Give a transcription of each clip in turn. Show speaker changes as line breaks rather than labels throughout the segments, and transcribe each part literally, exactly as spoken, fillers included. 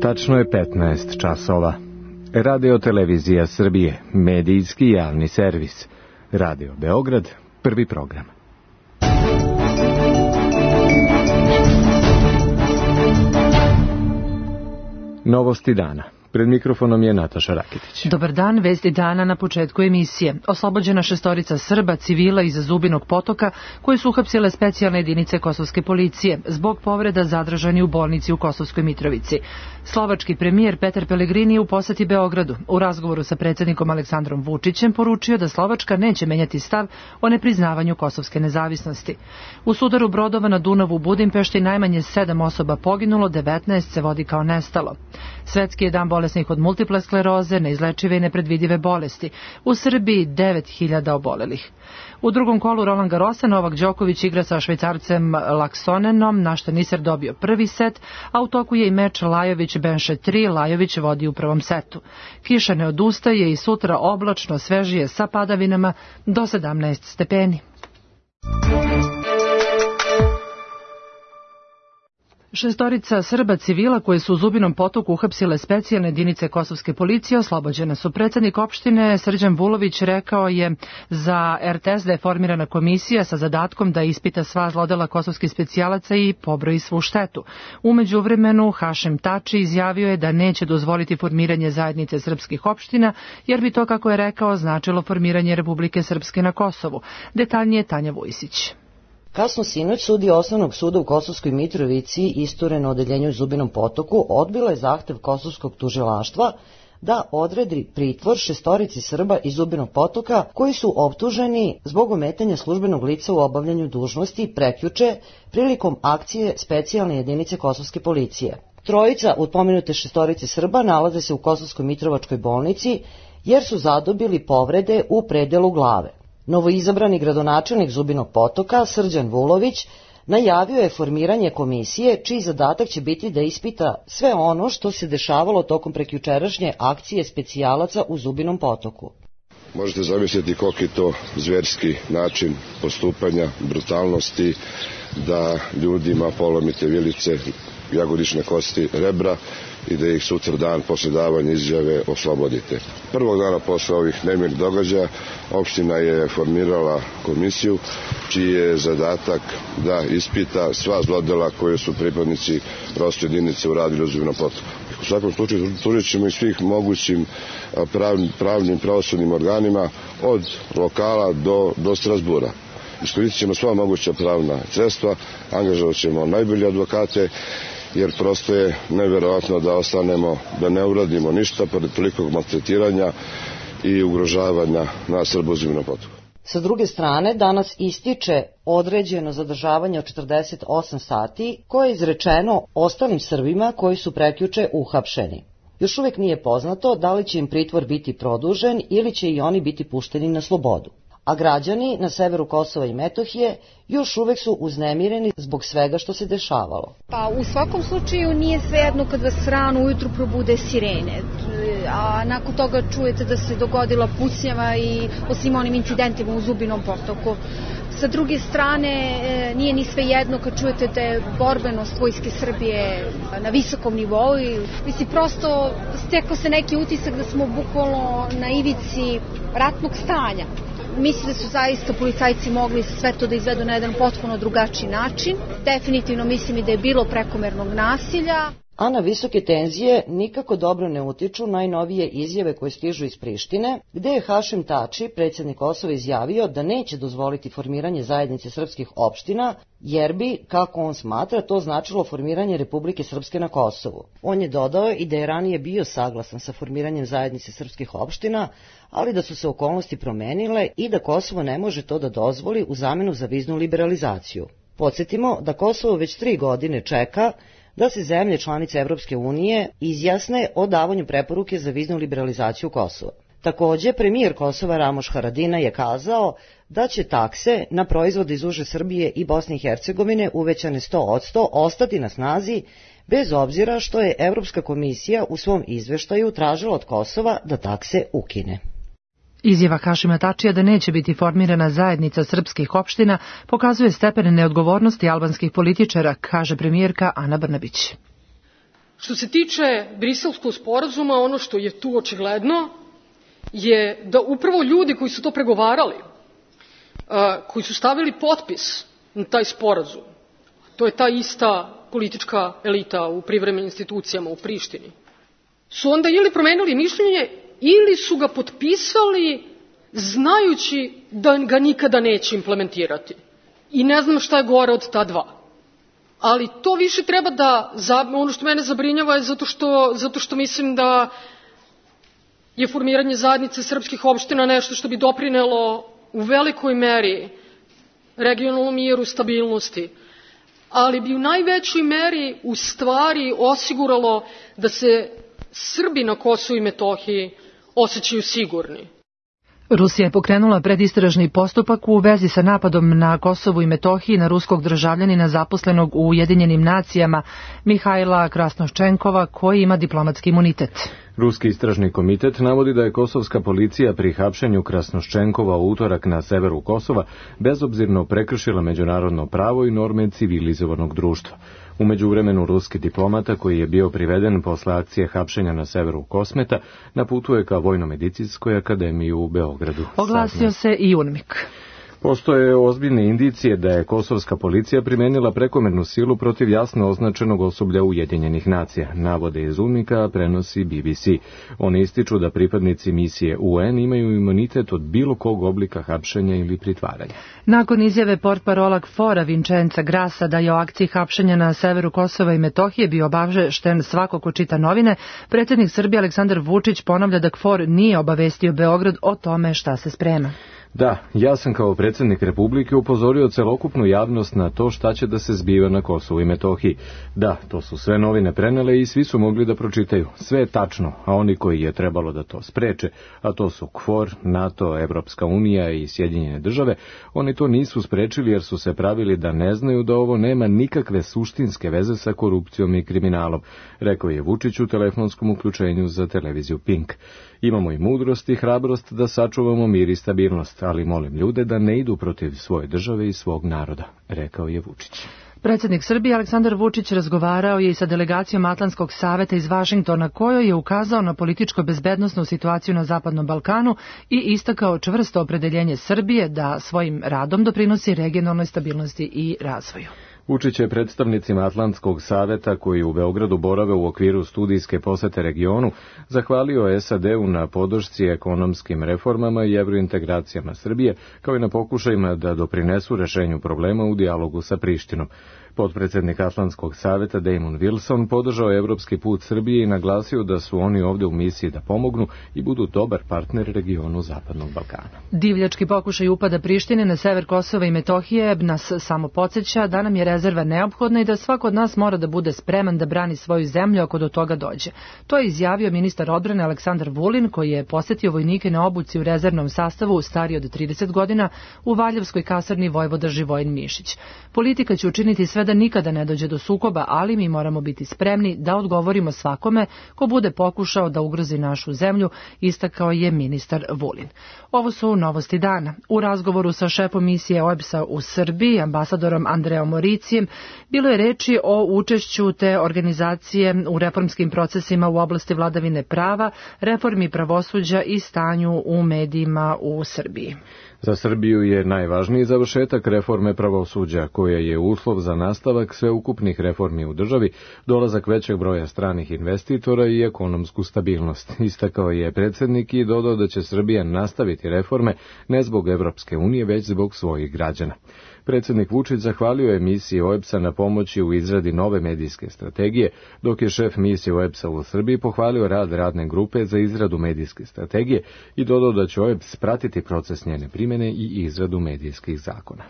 Tačno je petnaest časova. Radio Televizija Srbije, medijski javni servis. Radio Beograd, prvi program. Novosti dana. Pred mikrofonom je Nataša Raketić.
Dobar dan, vesti dana na početku emisije. Oslobođena šestorica Srba, civila iza Zubinog potoka, koji su uhapsile specijalne jedinice kosovske policije, zbog povreda zadržani u bolnici u Kosovskoj Mitrovici. Slovački premijer Petar Pellegrini je u poseti Beogradu. U razgovoru sa predsjednikom Aleksandrom Vučićem poručio da Slovačka neće menjati stav o nepriznavanju kosovske nezavisnosti. U sudaru brodova na Dunavu u Budimpešti najmanje sedam osoba poginulo, devetnaest se vodi kao nestalo. Svetski je dan bolesnih od multiple skleroze, neizlečive i nepredvidive bolesti. U Srbiji devet hiljada obolelih. U drugom kolu Roland Garrosa Novak Đoković igra sa Švajcarcem Laksonenom, na što Niser dobio prvi set, a u toku je i meč Lajović-Benše tri, Lajović vodi u prvom setu. Kiša ne odustaje i sutra oblačno, svežije sa padavinama do sedamnaest stepeni. Šestorica Srba civila koje su u Zubinom potoku uhapsile specijalne jedinice kosovske policije oslobođene su. Predsjednik opštine Srđan Vulović rekao je za er te es da je formirana komisija sa zadatkom da ispita sva zlodela kosovskih specijalaca i pobroji svu štetu. U međuvremenu Hašim Tači izjavio je da neće dozvoliti formiranje zajednice srpskih opština, jer bi to, kako je rekao, značilo formiranje Republike Srpske na Kosovu. Detaljnije Tanja Vujsić.
Kasno sinoć sudija Osnovnog suda u Kosovskoj Mitrovici, isturen na odeljenju u Zubinom potoku, odbila je zahtev kosovskog tužilaštva da odredi pritvor šestorici Srba iz Zubinog potoka koji su optuženi zbog ometanja službenog lica u obavljanju dužnosti prekjuče prilikom akcije specijalne jedinice kosovske policije. Trojica od pomenute šestorice Srba nalaze se u Kosovskoj Mitrovačkoj bolnici jer su zadobili povrede u predelu glave. Novoizabrani gradonačelnik Zubinog potoka, Srđan Vulović, najavio je formiranje komisije čiji zadatak će biti da ispita sve ono što se dešavalo tokom prekjučerašnje akcije specijalaca u Zubinom potoku.
Možete zamisliti koliki je to zverski način postupanja, brutalnosti, da ljudima polomite vilice, jagodične kosti, rebra i da ih sutra dan posle davanja izjave oslobodite. Prvog dana posle ovih nemirnih događaja opština je formirala komisiju čiji je zadatak da ispita sva zlodela koje su pripadnici proste jedinice uradili u Zubinom potoku. U svakom slučaju tužit ćemo i svih mogućim pravnim, pravnim pravosudnim organima od lokala do, do Strasbura. Iskoristit ćemo sva moguća pravna sredstva, angažovat ćemo najbolje advokate, jer prosto je neverovatno da ostanemo, da ne uradimo ništa pored tolikog maltretiranja i ugrožavanja na Srba u Zubinom potoku.
Sa druge strane, danas ističe određeno zadržavanje od četrdeset osam sati koje je izrečeno ostalim Srbima koji su prekjuče uhapšeni. Još uvijek nije poznato da li će im pritvor biti produžen ili će i oni biti pušteni na slobodu. A građani na severu Kosova i Metohije još uvek su uznemireni zbog svega što se dešavalo.
Pa u svakom slučaju nije svejedno kad vas rano ujutru probude sirene, a nakon toga čujete da se dogodila pucnjava i o svim onim incidentima u Zubinom potoku. Sa druge strane, nije ni svejedno kad čujete da je borbenost Vojske Srbije na visokom nivou i mislim, prosto stekao se neki utisak da smo bukvalno na ivici ratnog stanja. Mislim da su zaista policajci mogli sve to da izvedu na jedan potpuno drugačiji način. Definitivno mislim i da je bilo prekomernog nasilja.
A na visoke tenzije nikako dobro ne utiču najnovije izjave koje stižu iz Prištine, gde je Hašim Tači, predsjednik Kosova, izjavio da neće dozvoliti formiranje zajednice srpskih opština, jer bi, kako on smatra, to značilo formiranje Republike Srpske na Kosovu. On je dodao i da je ranije bio saglasan sa formiranjem zajednice srpskih opština, ali da su se okolnosti promenile i da Kosovo ne može to da dozvoli u zamenu za viznu liberalizaciju. Podsjetimo da Kosovo već tri godine čeka da se zemlje članice Evropske unije izjasne o davanju preporuke za viznu liberalizaciju Kosova. Takođe, premijer Kosova Ramoš Haradinaj je kazao da će takse na proizvode iz uže Srbije i Bosne i Hercegovine uvećane sto posto ostati na snazi, bez obzira što je Evropska komisija u svom izveštaju tražila od Kosova da takse ukine.
Izjava Hašima Tačija da neće biti formirana zajednica srpskih opština pokazuje stepen neodgovornosti albanskih političara, kaže premijerka Ana Brnabić.
Što se tiče Briselskog sporazuma, ono što je tu očigledno je da upravo ljudi koji su to pregovarali, koji su stavili potpis na taj sporazum, to je ta ista politička elita u privremenim institucijama u Prištini, su onda ili promenili mišljenje ili su ga potpisali znajući da ga nikada neće implementirati. I ne znam šta je gore od ta dva. Ali to više treba da, ono što mene zabrinjava je zato što, zato što mislim da je formiranje zajednice srpskih opština nešto što bi doprinelo u velikoj meri regionalnom miru, stabilnosti, ali bi u najvećoj meri u stvari osiguralo da se Srbi na Kosovu i Metohiji osjećaju sigurni.
Rusija je pokrenula predistražni postupak u vezi sa napadom na Kosovu i Metohiji na ruskog državljanina zaposlenog u Ujedinjenim nacijama Mihajla Krasnoščenkova, koji ima diplomatski imunitet.
Ruski istražni komitet navodi da je kosovska policija pri hapšenju Krasnoščenkova u utorak na severu Kosova bezobzirno prekršila međunarodno pravo i norme civilizovanog društva. U međuvremenu ruski diplomata koji je bio priveden posle akcije hapšenja na severu Kosmeta naputuje ka Vojno-medicinskoj akademiji u Beogradu.
Oglasio se i UNMIK.
Postoje ozbiljne indicije da je kosovska policija primenila prekomernu silu protiv jasno označenog osoblja Ujedinjenih nacija, navode iz UNMIK-a, a prenosi B B C. Oni ističu da pripadnici misije U N imaju imunitet od bilo kog oblika hapšenja ili pritvaranja.
Nakon izjave portparola KFOR-a Vincenza Grasa da je o akciji hapšenja na severu Kosova i Metohije bio obavešten svako ko čita novine, predsjednik Srbije Aleksandar Vučić ponavlja da KFOR nije obavestio Beograd o tome šta se sprema.
Da, ja sam kao predsjednik Republike upozorio celokupnu javnost na to šta će da se zbiva na Kosovu i Metohiji. Da, to su sve novine prenele i svi su mogli da pročitaju. Sve je tačno, a oni koji je trebalo da to spreče, a to su KFOR, NATO, Evropska unija i Sjedinjene države, oni to nisu sprečili jer su se pravili da ne znaju da ovo nema nikakve suštinske veze sa korupcijom i kriminalom, rekao je Vučić u telefonskom uključenju za televiziju Pink. Imamo i mudrost i hrabrost da sačuvamo mir i stabilnost, ali molim ljude da ne idu protiv svoje države i svog naroda, rekao je Vučić.
Predsjednik Srbije Aleksandar Vučić razgovarao je i sa delegacijom Atlantskog saveta iz Vašingtona, kojoj je ukazao na političko-bezbednosnu situaciju na Zapadnom Balkanu i istakao čvrsto opredeljenje Srbije da svojim radom doprinosi regionalnoj stabilnosti i razvoju.
Vučić je predstavnicima Atlantskog saveta koji u Beogradu borave u okviru studijske posete regionu zahvalio S A D-u na podršci ekonomskim reformama i evrointegracijama Srbije, kao i na pokušajima da doprinesu rešenju problema u dijalogu sa Prištinom. Potpredsednik Atlantskog saveta Damon Wilson podržao evropski put Srbije i naglasio da su oni ovde u misiji da pomognu i budu dobar partner regionu Zapadnog Balkana.
Divljački pokušaj upada Prištine na sever Kosova i Metohije nas samo podsjeća da nam je rezerva neophodna i da svako od nas mora da bude spreman da brani svoju zemlju ako do toga dođe. To je izjavio ministar odbrane Aleksandar Vulin, koji je posetio vojnike na obuci u rezervnom sastavu stariji od trideset godina u Valjevskoj kasarni Vojvoda Živojin Mišić. Politika će učiniti sve da nikada ne dođe do sukoba, ali mi moramo biti spremni da odgovorimo svakome ko bude pokušao da ugrozi našu zemlju, istakao je ministar Vulin. Ovo su novosti dana. U razgovoru sa šefom misije O E B S-a u Srbiji, ambasadorom Andreom Moricijem, bilo je reči o učešću te organizacije u reformskim procesima u oblasti vladavine prava, reformi pravosuđa i stanju u medijima u Srbiji.
Za Srbiju je najvažniji završetak reforme pravosuđa, koja je uslov za nastavak sveukupnih reformi u državi, dolazak većeg broja stranih investitora i ekonomsku stabilnost. Istakao je predsjednik i dodao da će Srbija nastaviti reforme ne zbog Evropske unije, već zbog svojih građana. Predsjednik Vučić zahvalio je misiji O E B S-a na pomoći u izradi nove medijske strategije, dok je šef misije O E B S-a u Srbiji pohvalio rad radne grupe za izradu medijske strategije i dodao da će O E B S pratiti proces njene primjene i izradu medijskih zakona.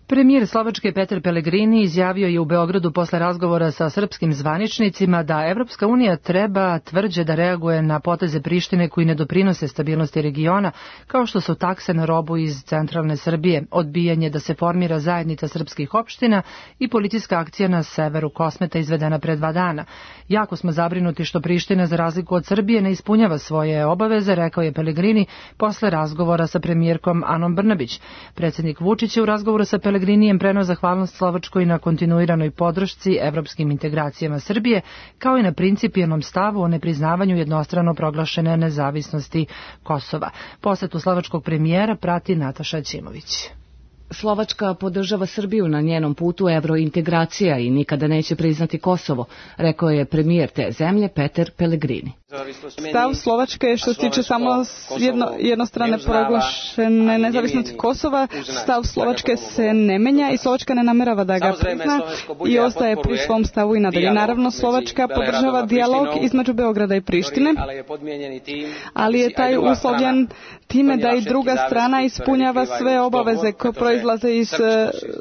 Premijer Slovačke Petar Pellegrini izjavio je u Beogradu posle razgovora sa srpskim zvaničnicima da Evropska unija treba tvrđe da reaguje na poteze Prištine koji ne doprinose stabilnosti regiona, kao što su takse na robu iz centralne Srbije, odbijanje da se formira zajednica srpskih opština i policijska akcija na severu Kosmeta izvedena pre dva dana. Jako smo zabrinuti što Priština, za razliku od Srbije, ne ispunjava svoje obaveze, rekao je Pellegrini posle razgovora sa premijerkom Anom Brnabić. Predsjednik Vučić je u razgovoru sa Pellegrini Pellegrinijem preneo zahvalnost Slovačkoj na kontinuiranoj podršci evropskim integracijama Srbije, kao i na principijelnom stavu o nepriznavanju jednostrano proglašene nezavisnosti Kosova. Posetu slovačkog premijera prati Nataša Ćimović.
Slovačka podržava Srbiju na njenom putu evrointegracija i nikada neće priznati Kosovo, rekao je premijer te zemlje Peter Pellegrini.
Stav Slovačke je što se tiče samo jedno, jednostrane proglašene nezavisnosti Kosova, stav Slovačke se ne menja i Slovačka ne namerava da ga prizna i ostaje pri svom stavu i nadalje. Naravno, Slovačka podržava dijalog između Beograda i Prištine, ali je taj uslovljen time da i druga strana ispunjava sve obaveze koje proizlaze iz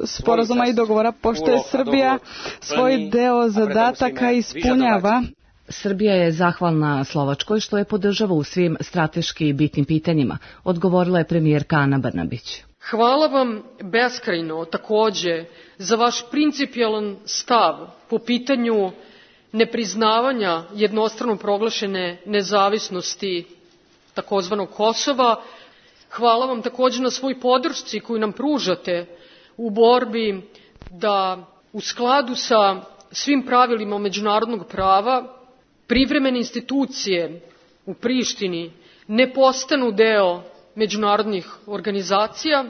sporazuma i dogovora, pošto je Srbija svoj deo zadataka ispunjava.
Srbija je zahvalna Slovačkoj što je podržava u svim strateški bitnim pitanjima, odgovorila je premijerka Ana Brnabić.
Hvala vam beskrajno takođe za vaš principijelan stav po pitanju nepriznavanja jednostrano proglašene nezavisnosti takozvanog Kosova. Hvala vam takođe na svoj podršci koju nam pružate u borbi da u skladu sa svim pravilima međunarodnog prava privremene institucije u Prištini ne postanu deo međunarodnih organizacija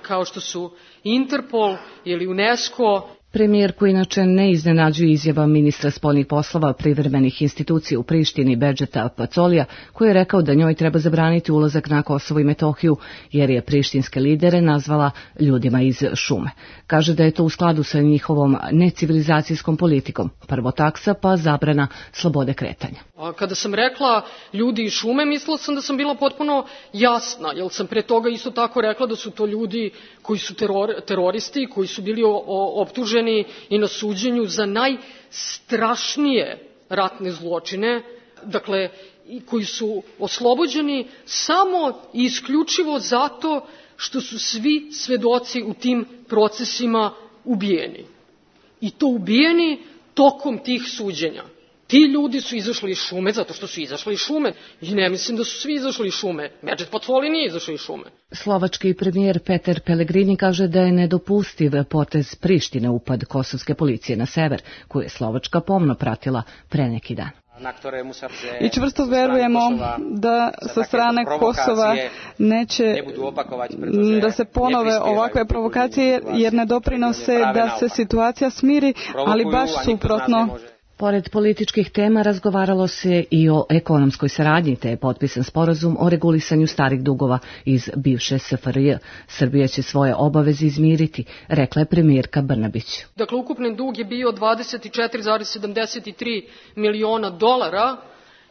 kao što su Interpol ili UNESCO.
Premijerku inače ne iznenađuje izjava ministra spoljnih poslova privremenih institucija u Prištini Bedžeta Pacolija, koji je rekao da njoj treba zabraniti ulazak na Kosovo i Metohiju, jer je prištinske lidere nazvala ljudima iz šume. Kaže da je to u skladu sa njihovom necivilizacijskom politikom. Prvo taksa, pa zabrana slobode kretanja.
A kada sam rekla ljudi iz šume, mislila sam da sam bila potpuno jasna, jer sam pre toga isto tako rekla da su to ljudi koji su teror, teroristi, koji su bili o, o, optuženi i na suđenju za najstrašnije ratne zločine, dakle, koji su oslobođeni samo i isključivo zato što su svi svedoci u tim procesima ubijeni. I to ubijeni tokom tih suđenja. Ti ljudi su izašli iz šume zato što su izašli iz šume. I ne mislim da su svi izašli iz šume. Bedžet Pacoli nije izašao iz šume.
Slovački premijer Peter Pellegrini kaže da je nedopustiv potez Prištine upad kosovske policije na sever, koju je Slovačka pomno pratila pre neki dan.
I čvrsto verujemo da sa strane Kosova neće da se ponove ovakve provokacije jer ne doprinose da se situacija smiri, ali baš suprotno.
Pored političkih tema razgovaralo se i o ekonomskoj saradnji, te je potpisan sporazum o regulisanju starih dugova iz bivše S F R J. Srbija će svoje obaveze izmiriti, rekla je premijerka Brnabić.
Dakle, ukupni dug je bio dvadeset četiri zarez sedamdeset tri miliona dolara.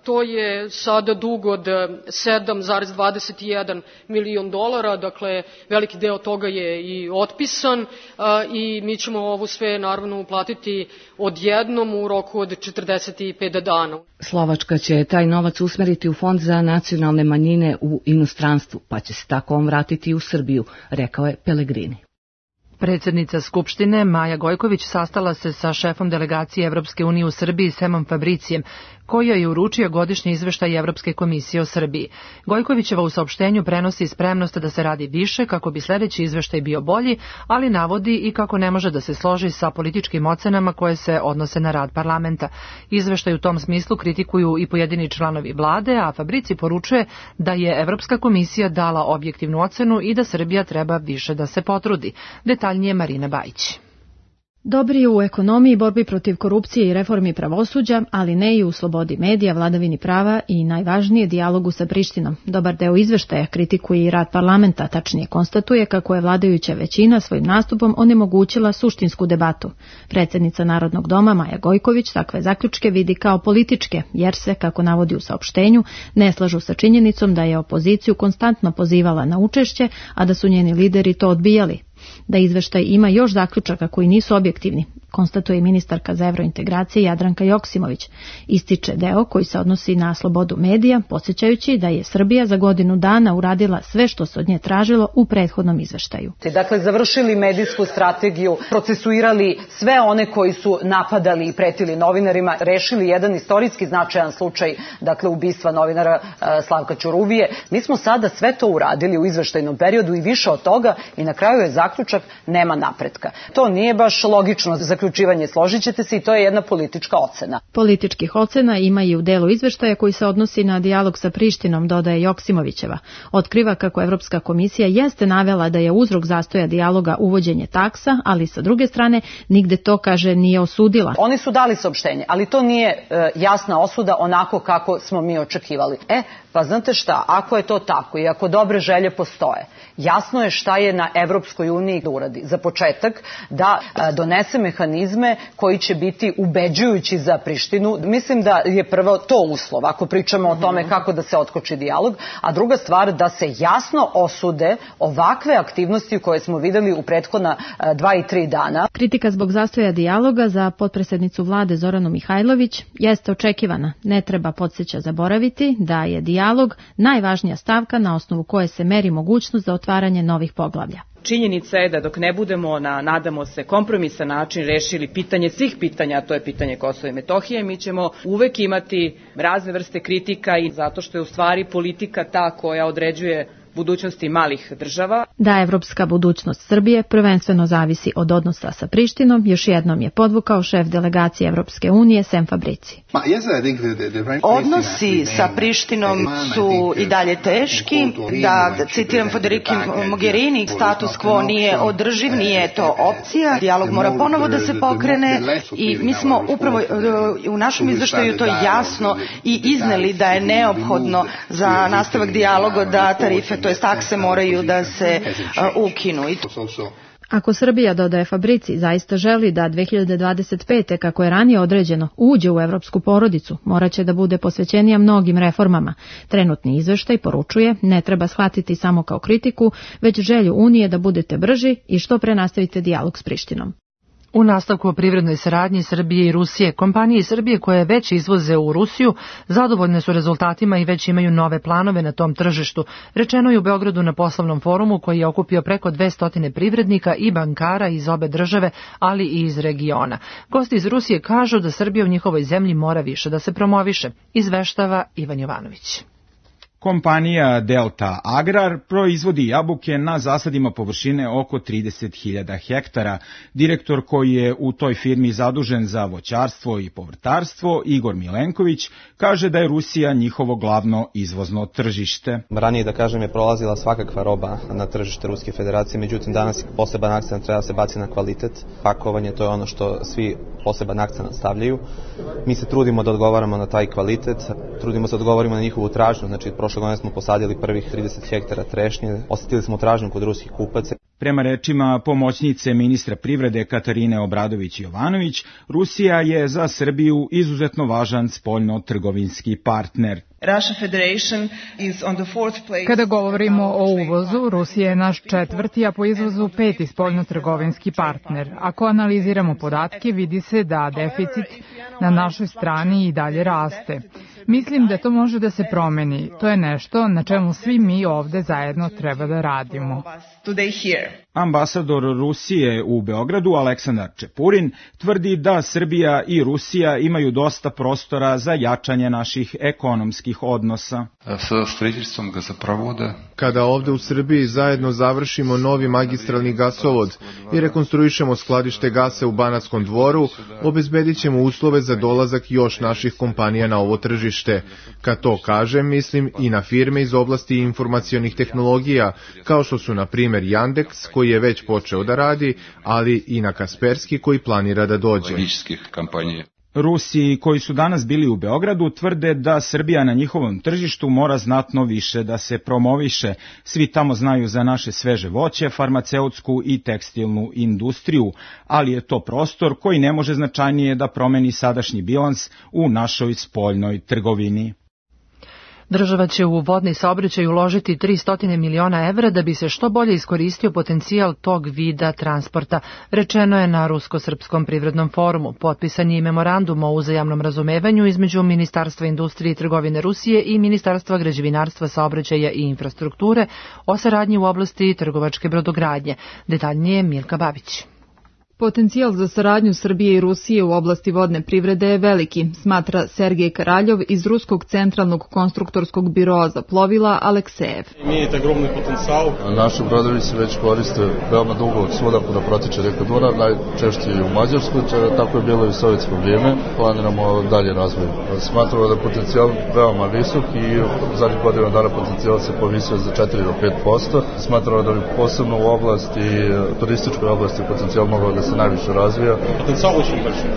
To je sada dug od sedam zarez dvadeset jedan milion dolara, dakle veliki deo toga je i otpisan a, i mi ćemo ovo sve naravno uplatiti odjednom u roku od četrdeset pet dana.
Slovačka će taj novac usmeriti u Fond za nacionalne manjine u inostranstvu, pa će se tako on vratiti u Srbiju, rekao je Pellegrini.
Predsjednica Skupštine Maja Gojković sastala se sa šefom delegacije Evropske unije u Srbiji Semom Fabricijem, koji je uručio godišnji izveštaj Evropske komisije o Srbiji. Gojkovićeva u saopštenju prenosi spremnost da se radi više kako bi sljedeći izveštaj bio bolji, ali navodi i kako ne može da se složi sa političkim ocenama koje se odnose na rad parlamenta. Izveštaj u tom smislu kritikuju i pojedini članovi vlade, a Fabrici poručuje da je Evropska komisija dala objektivnu ocenu i da Srbija treba više da se potrudi. Detaljnije Marina Bajić.
Dobri je u ekonomiji, borbi protiv korupcije i reformi pravosuđa, ali ne i u slobodi medija, vladavini prava i najvažnije dijalogu sa Prištinom. Dobar deo izveštaja kritikuje i rad parlamenta, tačnije konstatuje kako je vladajuća većina svojim nastupom onemogućila suštinsku debatu. Predsjednica Narodnog doma Maja Gojković takve zaključke vidi kao političke, jer se, kako navodi u saopštenju, ne slažu sa činjenicom da je opoziciju konstantno pozivala na učešće, a da su njeni lideri to odbijali. Da izveštaj ima još zaključaka koji nisu objektivni, konstatuje i ministarka za evrointegracije Jadranka Joksimović. Ističe deo koji se odnosi na slobodu medija, podsjećajući da je Srbija za godinu dana uradila sve što se od nje tražilo u prethodnom izveštaju.
Dakle, završili medijsku strategiju, procesuirali sve one koji su napadali i pretili novinarima, rešili jedan istorijski značajan slučaj, dakle, ubistva novinara Slavka Ćuruvije. Mi smo sada sve to uradili u izveštajnom periodu i više od toga i na kraju je zaključak nema napretka. To nije baš logično zaključivanje, složit ćete se, i to je jedna politička ocena.
Političkih ocena ima i u delu izveštaja koji se odnosi na dijalog sa Prištinom, dodaje Joksimovićeva. Otkriva kako Evropska komisija jeste navela da je uzrok zastoja dijaloga uvođenje taksa, ali sa druge strane nigde to, kaže, nije osudila.
Oni su dali saopštenje, ali to nije e, jasna osuda onako kako smo mi očekivali. E, pa znate šta, ako je to tako i ako dobre želje postoje, jasno je šta je na Evropskoj uniji da uradi. Za početak da e, donese mehanizme koji će biti ubeđujući za Prištinu. Mislim da je prvo to uslov, ako pričamo o tome kako da se otkoči dijalog, a druga stvar da se jasno osude ovakve aktivnosti koje smo videli u prethodna e, dva i tri dana.
Kritika zbog zastoja dijaloga za potpredsednicu vlade Zoranu Mihajlović jeste očekivana. Ne treba, podsjeća, zaboraviti da je dijalog najvažnija stavka na osnovu koje se meri mogućnost za otvaranje novih poglavlja.
Činjenica je da dok ne budemo na, nadamo se, kompromisan način rešili pitanje svih pitanja, a to je pitanje Kosova i Metohije, mi ćemo uvek imati razne vrste kritika i zato što je u stvari politika ta koja određuje budućnosti malih država.
Da evropska budućnost Srbije prvenstveno zavisi od odnosa sa Prištinom, još jednom je podvukao šef delegacije Evropske unije Sem Fabrici.
Odnosi sa Prištinom su i dalje teški, da citiram Federici Mogherini, status quo nije održiv, nije to opcija, dijalog mora ponovo da se pokrene i mi smo upravo u našem izveštaju to jasno i izneli da je neophodno za nastavak dijaloga da tarife, to je takse, moraju da se uh, ukinu.
Ako Srbija, dodaje Fabrici, zaista želi da dve hiljade dvadeset pete, kako je ranije određeno, uđe u evropsku porodicu, moraće da bude posvećenija mnogim reformama. Trenutni izveštaj poručuje, ne treba shvatiti samo kao kritiku, već želju Unije da budete brži i što pre nastavite dijalog s Prištinom.
U nastavku o privrednoj saradnji Srbije i Rusije, kompanije iz Srbije koje već izvoze u Rusiju zadovoljne su rezultatima i već imaju nove planove na tom tržištu. Rečeno je u Beogradu na poslovnom forumu koji je okupio preko dvesta privrednika i bankara iz obe države, ali i iz regiona. Gosti iz Rusije kažu da Srbija u njihovoj zemlji mora više da se promoviše, izveštava Ivan Jovanović.
Kompanija Delta Agrar proizvodi jabuke na zasadima površine oko trideset hiljada hektara. Direktor koji je u toj firmi zadužen za voćarstvo i povrtarstvo, Igor Milenković, kaže da je Rusija njihovo glavno izvozno tržište.
Ranije, da kažem, je prolazila svakakva roba na tržište Ruske federacije, međutim danas poseban akcent treba se baciti na kvalitet. Pakovanje, to je ono što svi poseban akcent stavljaju. Mi se trudimo da odgovaramo na taj kvalitet, trudimo se da odgovorimo na njihovu tražnju, znači prošle godine smo posadili prvih trideset hektara trešnje, osetili smo tražnju kod ruskih kupaca.
Prema rečima pomoćnice ministra privrede Katarine Obradović-Jovanović, Rusija je za Srbiju izuzetno važan spoljno-trgovinski partner.
Kada govorimo o uvozu, Rusija je naš četvrti, a po izvozu peti spoljno-trgovinski partner. Ako analiziramo podatke, vidi se da deficit na našoj strani i dalje raste. Mislim da to može da se promeni. To je nešto na čemu svi mi ovde zajedno treba da radimo.
Ambasador Rusije u Beogradu, Aleksandar Čepurin, tvrdi da Srbija i Rusija imaju dosta prostora za jačanje naših ekonomskih odnosa.
Kada ovde u Srbiji zajedno završimo novi magistralni gasovod i rekonstruišemo skladište gasa u Banatskom dvoru, obezbedit ćemo uslove za dolazak još naših kompanija na ovo tržište. Kad to kažem, mislim i na firme iz oblasti informacionih tehnologija, kao što su na primjer Yandex, koji je već počeo da radi, ali i na Kasperski, koji planira da dođe.
Rusi koji su danas bili u Beogradu tvrde da Srbija na njihovom tržištu mora znatno više da se promoviše. Svi tamo znaju za naše sveže voće, farmaceutsku i tekstilnu industriju, ali je to prostor koji ne može značajnije da promeni sadašnji bilans u našoj spoljnoj trgovini.
Država će u vodni saobraćaj uložiti tristo miliona evra da bi se što bolje iskoristio potencijal tog vida transporta, rečeno je na Rusko-srpskom privrednom forumu. Potpisan je i memorandum o uzajamnom razumevanju između Ministarstva industrije i trgovine Rusije i Ministarstva građevinarstva, saobraćaja i infrastrukture o saradnji u oblasti trgovačke brodogradnje. Detaljnije Milka Babić.
Potencijal za saradnju Srbije i Rusije u oblasti vodne privrede je veliki, smatra Sergej Karaljov iz Ruskog centralnog konstruktorskog biroa za plovila Aleksejev.
Imate ogromni potencijal.
Naši brodovi se već koriste veoma dugo od svuda kuda protiče reka Dunav, najčešće i u Mađarskoj, tako je bilo i u sovjetsko vrijeme. Planiramo dalje razvoj. Smatramo da je potencijal veoma visok i zadnjih godina dana potencijal se povisio za četiri do pet posto. Smatramo da bi posebno u oblasti, turističkoj oblasti potencijal mogao da se najviše razvija.
Potencijal очень большой.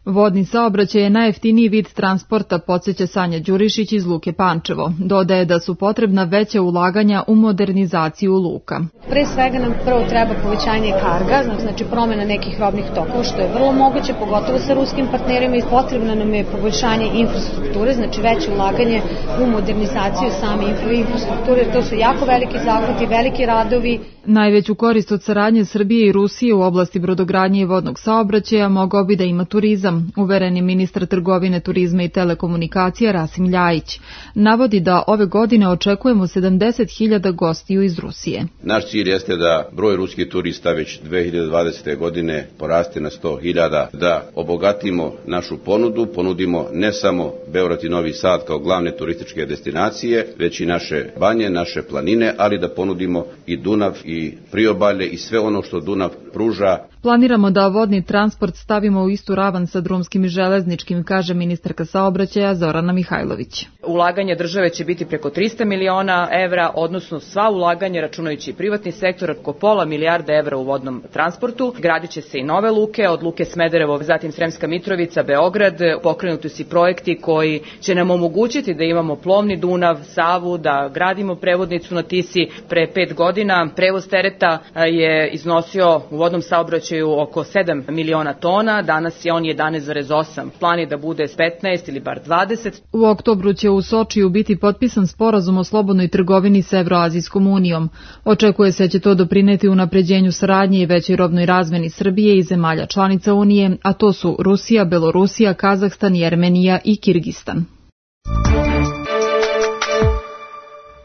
Vodni saobraćaj je najjeftiniji vid transporta, podsjeća Sanja Đurišić iz Luke Pančevo. Dodaje da su potrebna veća ulaganja u modernizaciju luka.
Pre svega nam prvo treba povećanje karga, znači promjena nekih robnih tokova, što je vrlo moguće, pogotovo sa ruskim partnerima, i potrebno nam je poboljšanje infrastrukture, znači veće ulaganje u modernizaciju same infrastrukture, jer to su jako veliki zahvati, veliki radovi.
Najveću korist od saradnje Srbije i Rusije u oblasti brodogradnje i vodnog saobraćaja mogao bi da ima turizam, uvereni ministar trgovine, turizma i telekomunikacija Rasim Ljajić. Navodi da ove godine očekujemo sedamdeset hiljada gostiju iz Rusije.
Naš cilj jeste da broj ruskih turista već dve hiljade dvadesete. godine poraste na sto hiljada, da obogatimo našu ponudu, ponudimo ne samo Beograd i Novi Sad kao glavne turističke destinacije, već i naše banje, naše planine, ali da ponudimo i Dunav i priobalje i sve ono što Dunav pruža.
Planiramo da vodni transport stavimo u istu ravan sa drumskim i železničkim, kaže ministarka saobraćaja Zorana Mihajlović.
Ulaganje države će biti preko trista miliona evra, odnosno sva ulaganja, računajući privatni sektor, oko pola milijarda evra u vodnom transportu. Gradit će se i nove luke, od luke Smederevo, zatim Sremska Mitrovica, Beograd. Pokrenuti su projekti koji će nam omogućiti da imamo plovni Dunav, Savu, da gradimo prevodnicu na Tisi. Pre pet godina prevoz tereta je iznosio u vodnom saobraćaju oko sedam miliona tona, danas je on jedanaest zarez osam. Plan je da bude petnaest ili bar dvadeset.
U oktobru će u Sočiju biti potpisan sporazum o slobodnoj trgovini s Evroazijskom unijom. Očekuje se da će to doprineti unapređenju saradnje i većoj robnoj razmeni Srbije i zemalja članica Unije, a to su Rusija, Belorusija, Kazahstan, Jermenija i Kirgistan.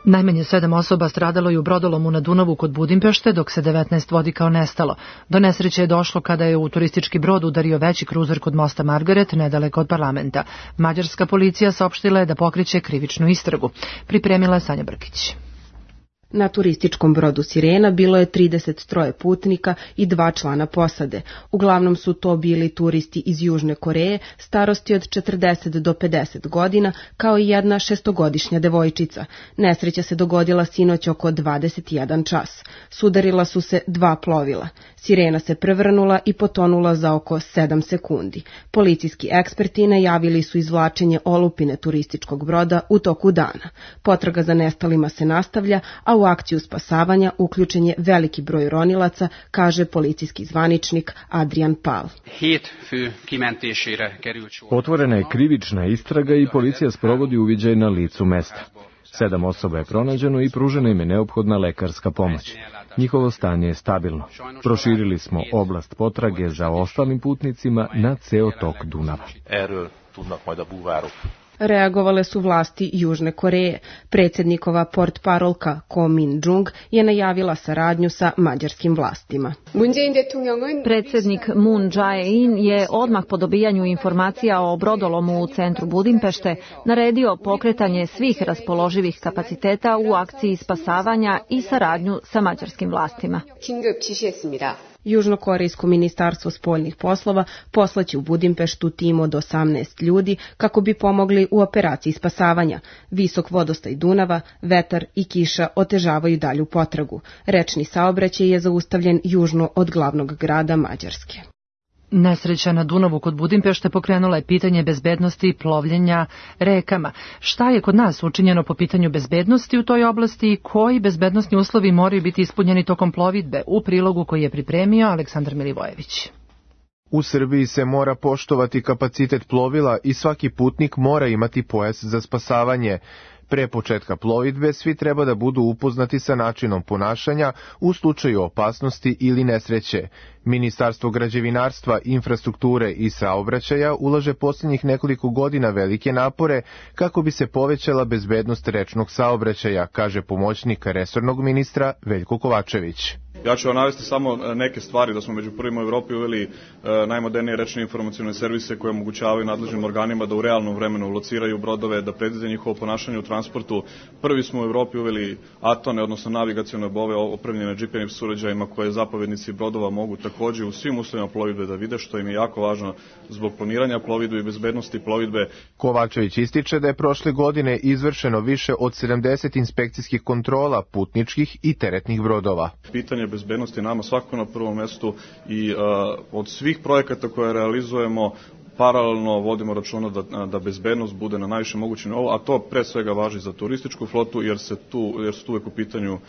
Najmanje sedam osoba stradalo je u brodolomu na Dunavu kod Budimpešte, dok se devetnaest vodi kao nestalo. Do nesreće je došlo kada je u turistički brod udario veći kruzer kod mosta Margaret, nedaleko od parlamenta. Mađarska policija saopštila je da pokreće krivičnu istragu. Pripremila je Sanja Brkić.
Na turističkom brodu Sirena bilo je trideset tri putnika i dva člana posade. Uglavnom su to bili turisti iz Južne Koreje, starosti od četrdeset do pedeset godina, kao i jedna šestogodišnja devojčica. Nesreća se dogodila sinoć oko dvadeset jedan čas. Sudarila su se dva plovila. Sirena se prevrnula i potonula za oko sedam sekundi. Policijski eksperti najavili su izvlačenje olupine turističkog broda u toku dana. Potraga za nestalima se nastavlja, a u akciju spasavanja uključen je veliki broj ronilaca, kaže policijski zvaničnik Adrian Pal.
Otvorena je krivična istraga i policija sprovodi uviđaj na licu mesta. Sedam osoba je pronađeno i pružena im je neophodna lekarska pomoć. Njihovo stanje je stabilno. Proširili smo oblast potrage za ostalim putnicima na ceo tok Dunava.
Reagovale su vlasti Južne Koreje. Predsjednikova portparolka Ko Min-jung je najavila saradnju sa mađarskim vlastima.
Predsjednik Moon Jae-in je odmah po dobijanju informacija o brodolomu u centru Budimpešte naredio pokretanje svih raspoloživih kapaciteta u akciji spasavanja i saradnju sa mađarskim vlastima.
Južnokorejsko ministarstvo spoljnih poslova poslaće u Budimpeštu tim od osamnaest ljudi kako bi pomogli u operaciji spasavanja. Visok vodostaj Dunava, vetar i kiša otežavaju dalju potragu. Rečni saobraćaj je zaustavljen južno od glavnog grada Mađarske.
Nesreća na Dunavu kod Budimpešte pokrenula je pitanje bezbednosti plovljenja rekama. Šta je kod nas učinjeno po pitanju bezbednosti u toj oblasti i koji bezbednosni uslovi moraju biti ispunjeni tokom plovidbe? U prilogu koji je pripremio Aleksandar Milivojević.
U Srbiji se mora poštovati kapacitet plovila i svaki putnik mora imati pojas za spasavanje. Pre početka plovidbe svi treba da budu upoznati sa načinom ponašanja u slučaju opasnosti ili nesreće. Ministarstvo građevinarstva, infrastrukture i saobraćaja ulaže posljednjih nekoliko godina velike napore kako bi se povećala bezbednost rečnog saobraćaja, kaže pomoćnik resornog ministra Veljko Kovačević.
Ja ću vam navesti samo neke stvari, da smo među prvima u Evropi uveli e, najmodernije rečne informacione servise koje omogućavaju nadležnim organima da u realnom vremenu lociraju brodove, da predvide njihovo ponašanje u transportu. Prvi smo u Evropi uveli atone, odnosno navigacione bove opremljene G P S uređajima koje zapovednici brodova mogu takođe u svim uslovima plovidbe da vide, što im je jako važno zbog planiranja plovidbe i bezbednosti plovidbe.
Kovačević ističe da je prošle godine izvršeno više od sedamdeset inspekcijskih kontrola putničkih i teretnih brodova.
Pitanje bezbednosti nama svakako na prvom mestu i uh, od svih projekata koje realizujemo paralelno vodimo računa da, da bezbednost bude na najviše mogućem nivou, a to pre svega važi za turističku flotu jer, se tu, jer su tu uvek u pitanju uh,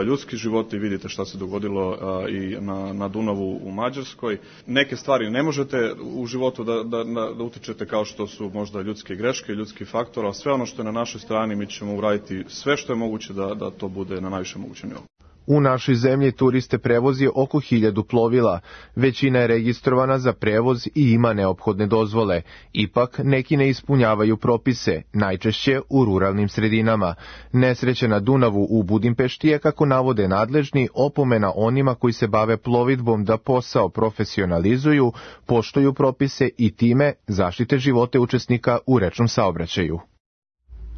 ljudski životi i vidite šta se dogodilo uh, i na, na Dunavu u Mađarskoj. Neke stvari ne možete u životu da, da, da utičete kao što su možda ljudske greške, ljudski faktor, a sve ono što je na našoj strani mi ćemo uraditi sve što je moguće da, da to bude na najviše mogućem nivou.
U našoj zemlji turiste prevozi oko hiljadu plovila. Većina je registrovana za prevoz i ima neophodne dozvole. Ipak, neki ne ispunjavaju propise, najčešće u ruralnim sredinama. Nesreće na Dunavu u Budimpešti je, kako navode nadležni, opomena onima koji se bave plovidbom da posao profesionalizuju, poštuju propise i time zaštite živote učesnika u rečnom saobraćaju.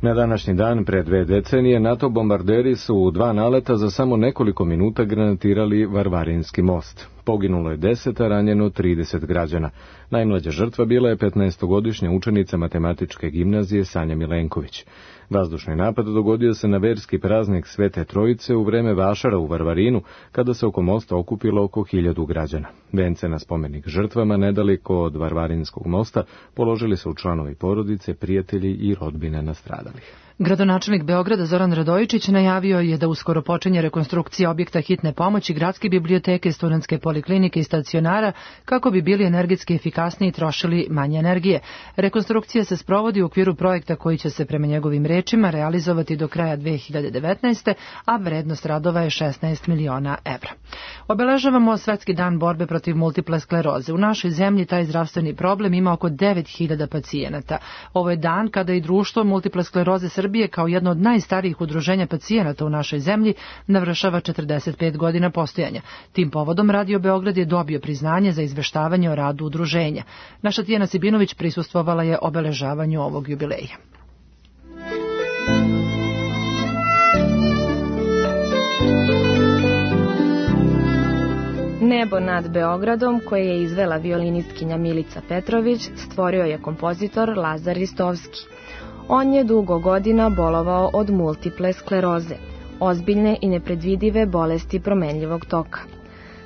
Na današnji dan pre dve decenije NATO bombarderi su u dva naleta za samo nekoliko minuta granatirali Varvarinski most. Poginulo je deset, a ranjeno trideset građana. Najmlađa žrtva bila je petnaestogodišnja učenica matematičke gimnazije Sanja Milenković. Vazdušni napad dogodio se na verski praznik Svete Trojice u vreme vašara u Varvarinu, kada se oko mosta okupilo oko hiljadu građana. Vence na spomenik žrtvama nedaleko od Varvarinskog mosta položili su članovi porodice, prijatelji i rodbine nastradalih.
Gradonačelnik Beograda Zoran Radojičić najavio je da uskoro počinje rekonstrukcija objekta hitne pomoći, gradske biblioteke, studentske poliklinike i stacionara kako bi bili energetski efikasniji i trošili manje energije. Rekonstrukcija se sprovodi u okviru projekta koji će se prema njegovim rečima realizovati do kraja dve hiljade devetnaeste. a vrednost radova je šesnaest miliona evra. Obeležavamo Svetski dan borbe protiv multiple skleroze. U našoj zemlji taj zdravstveni problem ima oko devet hiljada pacijenata. Ovo je dan kada i društvo multiple skleroze Srbije kao jedno od najstarijih udruženja pacijenata u našoj zemlji navršava četrdeset pet godina postojanja. Tim povodom Radio Beograd je dobio priznanje za izveštavanje o radu udruženja. Naša Tijana Sibinović prisustvovala je obeležavanju ovog jubileja.
Nebo nad Beogradom, koje je izvela violinistkinja Milica Petrović, stvorio je kompozitor Lazar Ristovski. On je dugo godina bolovao od multiple skleroze, ozbiljne i nepredvidive bolesti promenljivog toka.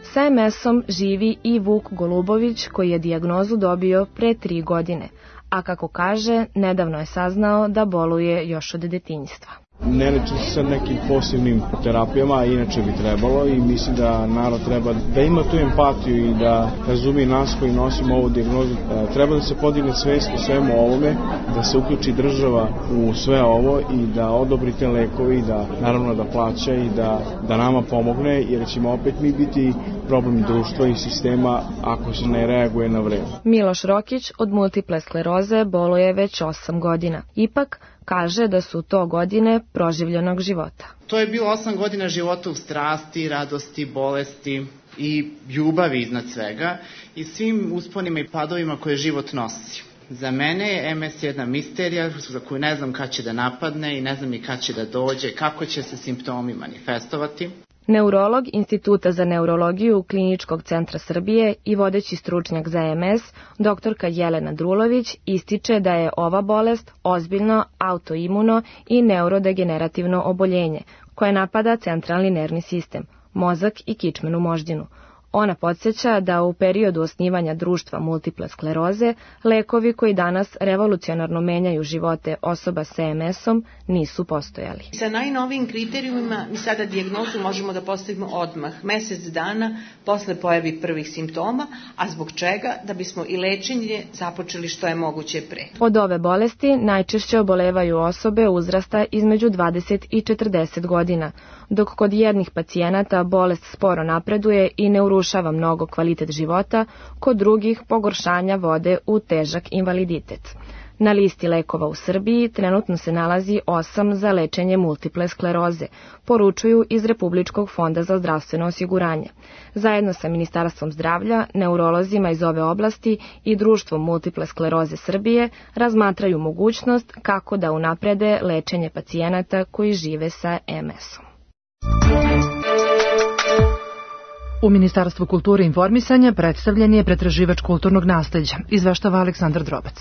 Sa em esom živi i Vuk Golubović, koji je dijagnozu dobio pre tri godine, a kako kaže, nedavno je saznao da boluje još od detinjstva.
Ne leči se sa nekim posebnim terapijama, a inače bi trebalo, i mislim da narod treba da ima tu empatiju i da razumije nas koji nosimo ovu dijagnozu. Treba da se podigne svest o svemu ovome, da se uključi država u sve ovo i da odobri te lekovi i da naravno da plaća i da, da nama pomogne, jer ćemo opet mi biti problem društva i sistema ako se ne reaguje na vreme.
Miloš Rokić od multiple skleroze boluje već osam godina. Ipak, kaže da su to godine proživljenog života.
To je bilo osam godina života u strasti, radosti, bolesti i ljubavi iznad svega i svim usponima i padovima koje život nosi. Za mene je em es jedna misterija za koju ne znam kad će da napadne i ne znam ni kad će da dođe, kako će se simptomi manifestovati.
Neurolog Instituta za neurologiju Kliničkog centra Srbije i vodeći stručnjak za em es, doktorka Jelena Drulović, ističe da je ova bolest ozbiljno autoimuno i neurodegenerativno oboljenje koje napada centralni nervni sistem, mozak i kičmenu moždinu. Ona podsjeća da u periodu osnivanja društva multiple skleroze, lekovi koji danas revolucionarno menjaju živote osoba sa em esom nisu postojali.
Sa najnovijim kriterijumima mi sada dijagnozu možemo da postavimo odmah, mesec dana posle pojavi prvih simptoma, a zbog čega? Da bismo i lečenje započeli što je moguće pre.
Od ove bolesti najčešće obolevaju osobe uzrasta između dvadeset i četrdeset godina, dok kod jednih pacijenata bolest sporo napreduje i ne urušava mnogo kvalitet života, kod drugih pogoršanja vode u težak invaliditet. Na listi lekova u Srbiji trenutno se nalazi osam za lečenje multiple skleroze, poručuju iz Republičkog fonda za zdravstveno osiguranje. Zajedno sa Ministarstvom zdravlja, neurolozima iz ove oblasti i Društvom multiple skleroze Srbije razmatraju mogućnost kako da unaprede lečenje pacijenata koji žive sa em esom.
U Ministarstvu kulture i informisanja predstavljen je pretraživač kulturnog nasleđa, izveštava Aleksandar Drobac.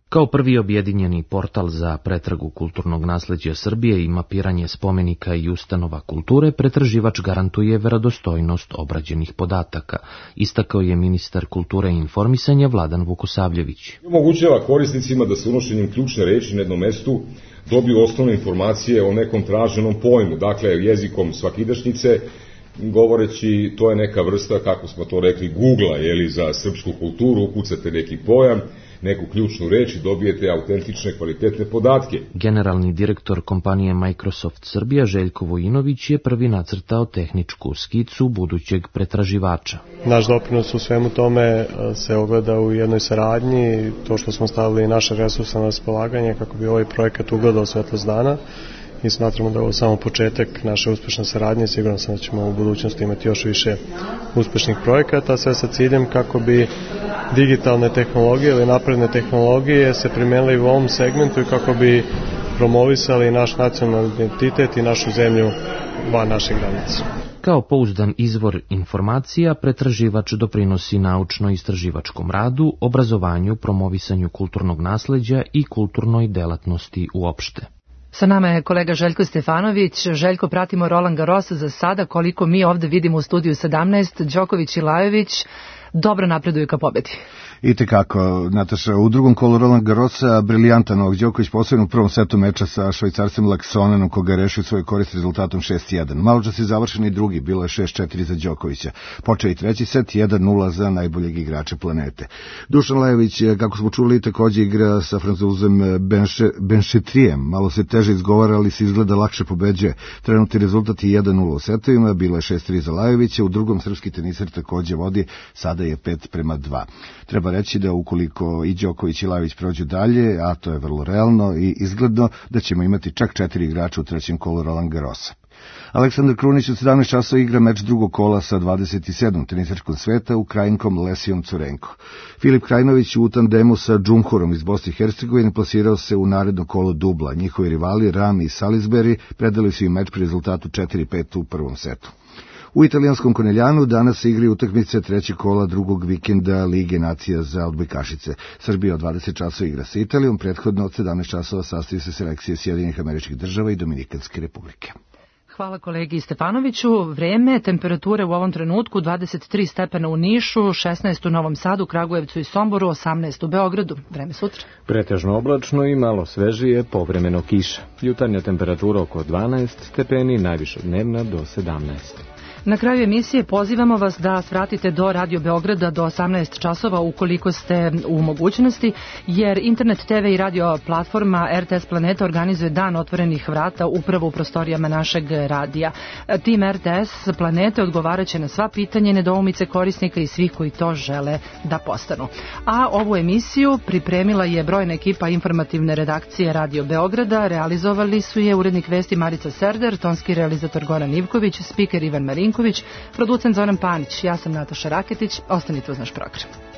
Kao prvi objedinjeni portal za pretragu kulturnog nasleđa Srbije i mapiranje spomenika i ustanova kulture, pretraživač garantuje verodostojnost obrađenih podataka, istakao je ministar kulture i informisanja Vladan Vukosavljević.
Omogućava korisnicima da se unošenjem ključne reči na jednom mestu dobiju osnovne informacije o nekom traženom pojmu, dakle jezikom svakidašnjice, govoreći to je neka vrsta, kako smo to rekli, Google-a, jeli, za srpsku kulturu, ukucate neki pojam, neku ključnu reč i dobijete autentične, kvalitetne podatke.
Generalni direktor kompanije Microsoft Srbija Željko Vojinović je prvi nacrtao tehničku skicu budućeg pretraživača.
Naš doprinos u svemu tome se ogleda u jednoj saradnji, to što smo stavili naše resurse na raspolaganje kako bi ovaj projekat ugledao svetlost dana. I smatramo da je ovo samo početak naše uspešne saradnje. Sigurno sam da ćemo u budućnosti imati još više uspešnih projekata, sve sa ciljem kako bi digitalne tehnologije ili napredne tehnologije se primenili u ovom segmentu i kako bi promovisali naš nacionalni identitet i našu zemlju van naših granica.
Kao pouzdan izvor informacija, pretraživač doprinosi naučno-istraživačkom radu, obrazovanju, promovisanju kulturnog nasleđa i kulturnoj delatnosti uopšte.
Sa nama je kolega Željko Stefanović. Željko, pratimo Roland Garros za sada, koliko mi ovde vidimo u studiju sedamnaest, Đoković i Lajović dobro napreduju ka pobedi.
I tekako, Nataša, u drugom kolu Roland Garrosa briljantan Novak Đoković posebno u prvom setu meča sa švajcarcem Laksonenom, koga je rešio svoj korist rezultatom šest jedan. Malo čas je završen i drugi, bilo je šest četiri za Đokovića. Počeo i treći set, jedan nula za najboljeg igrača planete. Dušan Lajović, kako smo čuli, takođe igra sa Francuzem Benšetrijem. Malo se teže izgovara, ali se izgleda lakše pobeđuje. Trenutni rezultat je jedan nula u setovima, bilo je šest tri za Lajovića, u drugom srpski tenisar takođe vodi, sada je pet prema dva. Treba reći da ukoliko i Đoković i Lajović prođu dalje, a to je vrlo realno i izgledno, da ćemo imati čak četiri igrača u trećem kolu Roland Garrosa. Aleksandar Krunić od sedamnaest časova igra meč drugog kola sa dvadeset sedam tenisačkom sveta Ukrajinkom Lesijom Curenko. Filip Krajnović u tandemu sa Džumhurom iz Bosne i Hercegovine plasirao se u naredno kolo dubla. Njihovi rivali Rami i Salisbury predali su im meč pri rezultatu četiri pet u prvom setu. U italijanskom Koneljanu danas se igraju utakmice trećeg kola drugog vikenda Lige nacija za odbojkašice. Srbija od dvadeset časova igra sa Italijom, prethodno od sedamnaest časova sastoji se selekcije Sjedinjenih Američkih Država i Dominikanske Republike.
Hvala kolegi Stefanoviću. Vreme, temperature u ovom trenutku dvadeset tri stepena u Nišu, šesnaest u Novom Sadu, Kragujevcu i Somboru, osamnaest u Beogradu. Vreme sutra.
Pretežno oblačno i malo svežije, povremeno kiša. Jutarnja temperatura oko dvanaest stepeni, najviša dnevna do sedamnaest.
Na kraju emisije pozivamo vas da svratite do Radio Beograda do osamnaest časova ukoliko ste u mogućnosti, jer Internet T V i radio platforma R T S Planeta organizuje dan otvorenih vrata upravo u prostorijama našeg radija. Tim R T S Planete odgovaraće na sva pitanja i nedoumice korisnika i svih koji to žele da postanu. A ovu emisiju pripremila je brojna ekipa informativne redakcije Radio Beograda, realizovali su je urednik vesti Marica Serder, tonski realizator Goran Ivković, spiker Ivan Marinković, producent Zoran Panić, ja sam Nataša Raketić, ostanite uz naš program.